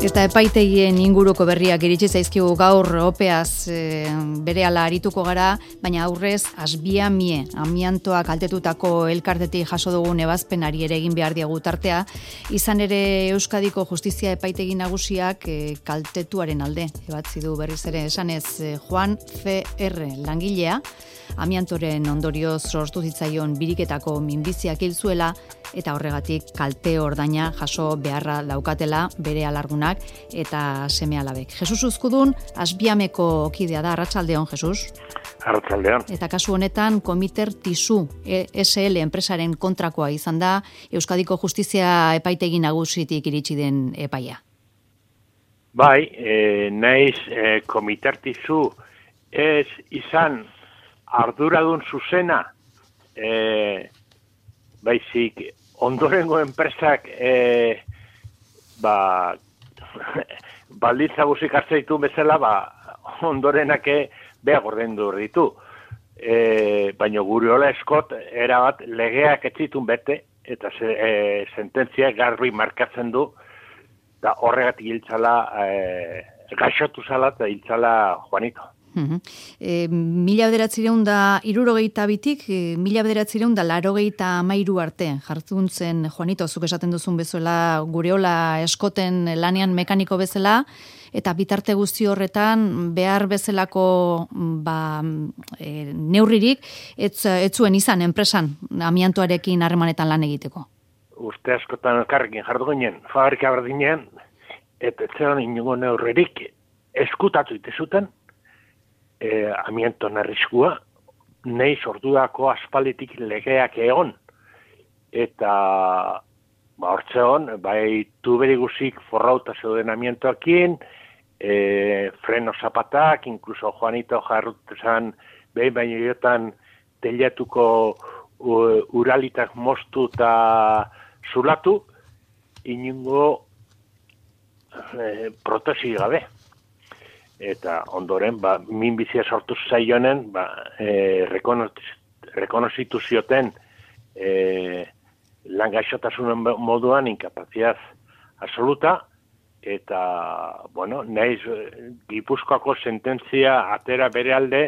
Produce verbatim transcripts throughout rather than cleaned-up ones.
Eta epaitegien inguruko berriak iritsi zaizkigu gaur opeaz e, berehala arituko gara, baina aurrez Asbiamie amiantoa kaltetutako elkartetik jaso dugun ebazpenari ere egin behar diagu tartea, izan ere Euskadiko Justizia Epaitegi Nagusiak e, kaltetuaren alde ebatzi du berriz ere esanez e, Juan C R langilea, amiantoren ondorioz sortu zitzaion biriketako minbiziak hil zuela eta horregatik kalte ordaina jaso beharra daukatela bere alargunak eta seme-alabek. Jesus Uzkudun, Asbiameko kidea da, arratsaldeon, Jesus. Arratsaldeon. Eta kasu honetan, Komiter Tisu S L enpresaren kontrakoa izan da, Euskadiko Justizia Epaitegi Nagusitik iritsi den epaia. Bai, e, naiz e, Komiter Tisu ez izan arduradun zuzena, e, baizik ondorengo enpresak e, ba, baldintza guzik hartzeitu bezala, ba, ondorenake beha gordendu ditu. E, baina gure hola eskot, erabat legeak etzitun bete, eta ze, e, sententzia garbi markatzen du, da horregatik hiltzala, e, gaixotu zala eta hiltzala Juanito. Uh-huh. E, mila bederatzireun da irurogeita bitik, e, mila bederatzireun da larogeita amairu arte, jartzuntzen Juanito, zuk esaten duzun bezuela, gureola eskoten lanean mekaniko bezala, eta bitarte guzti horretan behar bezalako ba, e, neurririk, ez, ez zuen izan enpresan amiantoarekin harremanetan lan egiteko. Uste askotan elkarrekin jardu ginen, fabrika berdinen, eta ez zelan inungo neurririk eskutatu itezuten, E, amianton arriskua, nahi sortuako aspalditik legeak egon. Eta ba, hortze hon, bai tuberi guzik forrauta zeuden amiantoakin, e, freno zapatak, inkluso Juanito jarrutezan behin baino jotan telatuko uralitak moztu eta zulatu, inungo e, protesi gabe. Eta ondoren, ba, minbizia sortu zaionen, ba, e, rekonozitu zioten e, langaixotasunen moduan inkapaziaz absoluta, eta, bueno, nahiz Gipuzkoako sententzia atera bere alde,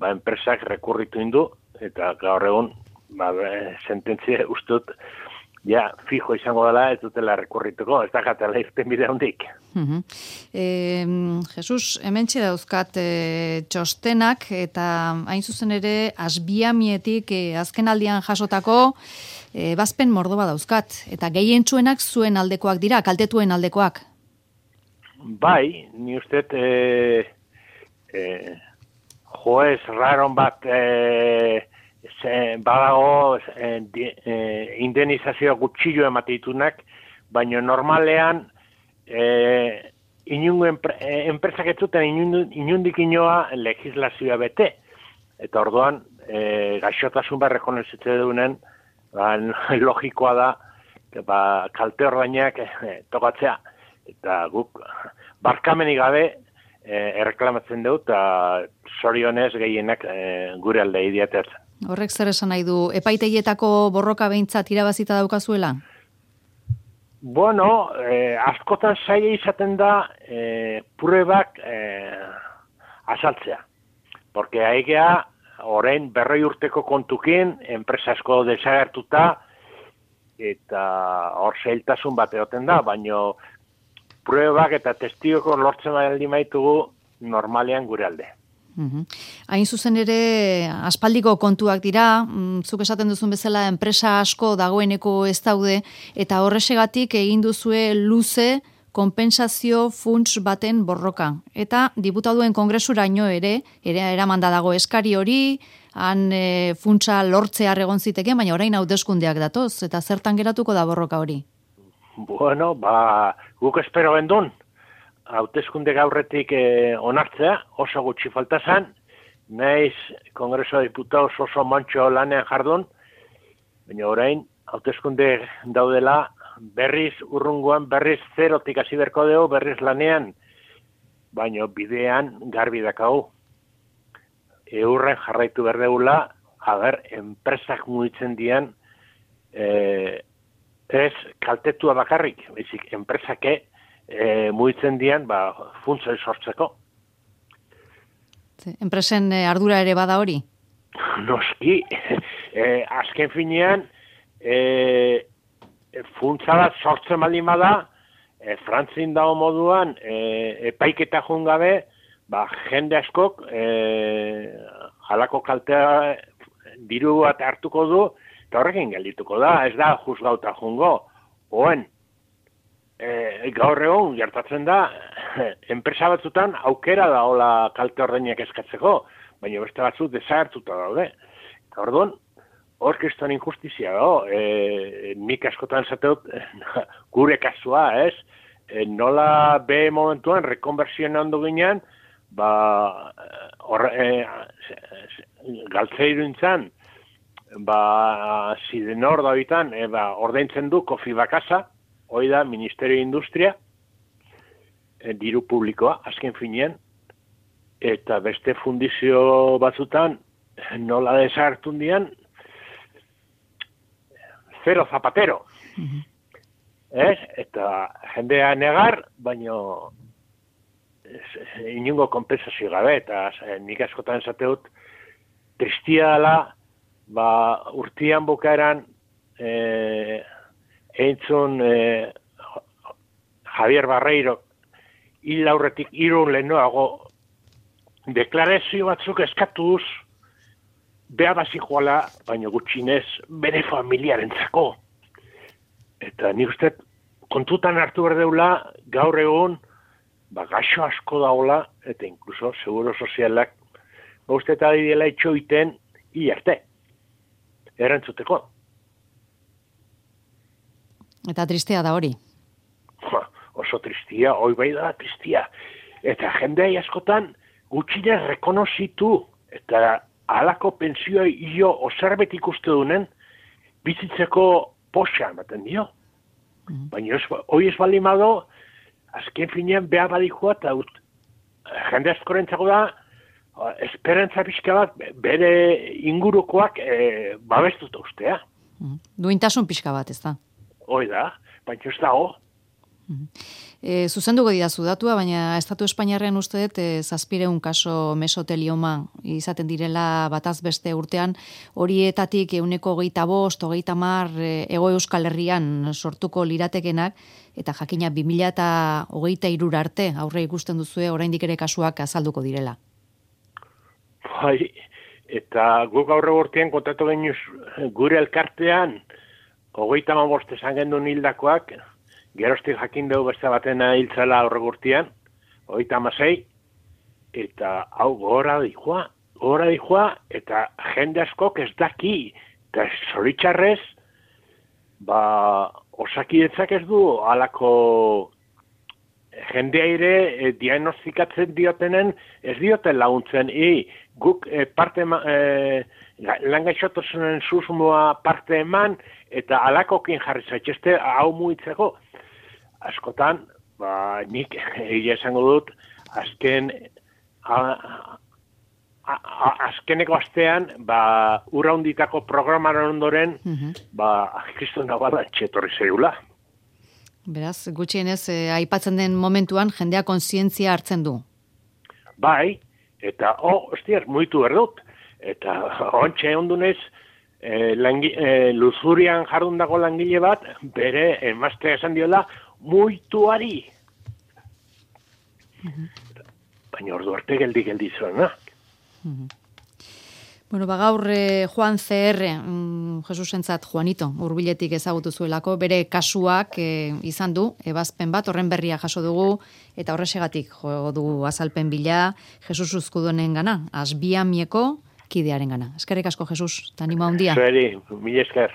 ba, enpresak rekurritu indu, eta gaur egun, ba, sententzia ustut, ja, fijo izango dela, ez dutela rekurrituko, ez da gatela irten bide hondik. Uh-huh. E, Jesus, hemen dauzkat e, txostenak, eta hain zuzen ere, Asbiamietik e, azken aldian jasotako e, bazpen mordoba dauzkat, eta gehientsuenak zuen aldekoak dira, kaltetuen aldekoak. Bai, ni uste, e, e, joez raron bat, e, Ze, badago eh, eh, indenizazioa gutxillo emateitunak, baina normalean eh, inungo enpre, eh, enpresak ez zuten inundik inoa legislazioa bete. Eta orduan, eh, gaixotasun bat rekonozitze duenen, ba, logikoa da, ba, kalte ordainak eh, tokatzea. Eta guk, barkamenik gabe, eh, erreklamatzen dut, eta zorionez gehienak eh, gure alde idiatertzen. Horrek zer esan nahi du, epaitegietako borroka behintzat irabazita daukazuela? Bueno, eh, askotan zaila izaten da eh, pruebak eh, azaltzea. Porque haigea, orain berroi urteko kontukin, enpresa asko desagertuta, eta hor zailtasun bat egoten da, baina pruebak eta testigoko lortzen baldin maitugu normalean gure alde. Uhum. Hain zuzen ere, aspaldiko kontuak dira, zuk esaten duzun bezala enpresa asko dagoeneko ez daude, eta horrexegatik egin duzue luze konpentsazio funts baten borroka. Eta diputaduen kongresuraino ere, ere eramanda dago eskari hori, han e, funtsa lortzea egon ziteke, baina orain hauteskundeak datoz, eta zertan geratuko da borroka hori? Bueno, ba, guk espero gendun. Hauteskunde gaurretik eh, onartzea, oso gutxi falta zen, naiz Kongreso Diputados oso mantxo lanean jardun, baina orain, hauteskunde daudela, berriz urrunguan, berriz zerotik hasi berko dugu, berriz lanean, baina bidean garbi dakau. Eurren jarraitu berdegula, haber, enpresak mugitzen dian, eh, ez kaltetua bakarrik, baizik enpresake e, muitzen dian, ba, funtza sortzeko. Enpresen ardura ere bada hori? Noski, e, azken finean, e, funtza bat sortzen baldin bada, e, Frantzin dago moduan, e, epaiketa joan gabe, ba, jende askok e, halako kaltea diru bat hartuko du, eta horrekin geldituko da, ez da juzgauta joango. Oen, e, gaur egun gertatzen da, enpresa batzutan aukera da hola kalte ordainak eskatzeko, baina beste batzuk desagertuta daude. Eta orduan, hor kriston injustizia dago, e, nik askotan zateut, gure kasua, ez? E, nola be momentuan, rekonversioen ondo ginean, ba, or, e, galtzeiru intzan, ba, Sidenor da bitan, e, ba, ordaintzen du kofi bakasa, hoi da, Ministerio Industria, e, diru publikoa, azken finean, eta beste fundizio batzutan, nola desartun dian, zero zapatero. Mm-hmm. Ez? Eta jendea negar, baino inungo kompensazio gabe, eta nik askotan esateut, tristia dela, ba, urtian bukaeran, e, eintzun e, Javier Barreiro, hil aurretik irun lehenoago, deklarazio batzuk eskatuz, beha bazikoala, baina gutxinez, bere familiarentzako. Eta nik uste, kontutan hartu berdeula, gaur egun, ba, gaixo asko daula, eta inkluso, seguro sozialak, ba, uste eta didela itxoiten, hilarte. Erantzuteko. Eta tristea da hori. Ja, oso tristia, hoi bai da tristia. Eta jendea askotan, gutxinez rekonozitu, eta halako pentsioi jo oserbet ikuste dunen, bizitzeko poxa ematen dio. Mm. Baina hoi ez bali mado, azken finean beha badikoa, eta ut, jende askorentzako da, esperantza pixka bat, bere ingurukoak e, babestuta ustea. Mm. Duintasun pixka bat, ez da? Hoi da, baina ez dago. E, zuzenduko didazu datua, baina Estatu Espainiarren uste dut e, zazpireun kaso mesotelioma izaten direla bataz beste urtean, horietatik euneko hogeita bost, hogeita mar e, Hego Euskal Herrian sortuko liratekenak, eta jakina bi mila eta hogeita hirura arte aurre ikusten duzue oraindik ere kasuak azalduko direla. Bai, eta guk aurre urtean kontatu genuz gure elkartean hogeita hamabost esan gendun hildakoak, geroztik jakin dugu beste batena hiltzela aurre gurtian, hogeita hamasei, eta hau gora dijoa, gora dijoa, eta jende askok ez daki, eta zoritxarrez, ba, osakidetzak ez du, halako jendea ere e, diagnostikatzen diotenen, ez dioten laguntzen, i, guk e, parte, e, langaixotosunen susmoa parte eman, eta halakokin jarri zaitxeste, hau muitzeko, askotan, ba, nik egia esango dut, azken, a, a, a, azkeneko astean, ba, ura hunditako programaren ondoren, mm-hmm. ba, kriston nabala txetorri zeula. Beraz, gutxienez, eh, aipatzen den momentuan, jendea kontzientzia hartzen du. Bai, eta, oh, ostiar, muitu berdut. Eta, ontxe ondunez, eh, langi, eh, luzurian jardundako langile bat, bere, emaztea esan diola, muituari. Uh-huh. Baina ordu arte geldi-geldi zuen, na? Uh-huh. Bueno, ba gaur eh, Juan C R, mm, Jesusentzat Juanito, hurbiletik ezagutu zuelako, bere kasuak eh, izan du, ebazpen bat, horren berria jaso dugu, eta horrexegatik jo dugu azalpen bila, Jesus Uzkudonen gana, Asbiamieko kidearen gana. Eskerrik asko, Jesus, eta anima handia. Zeri, mila esker.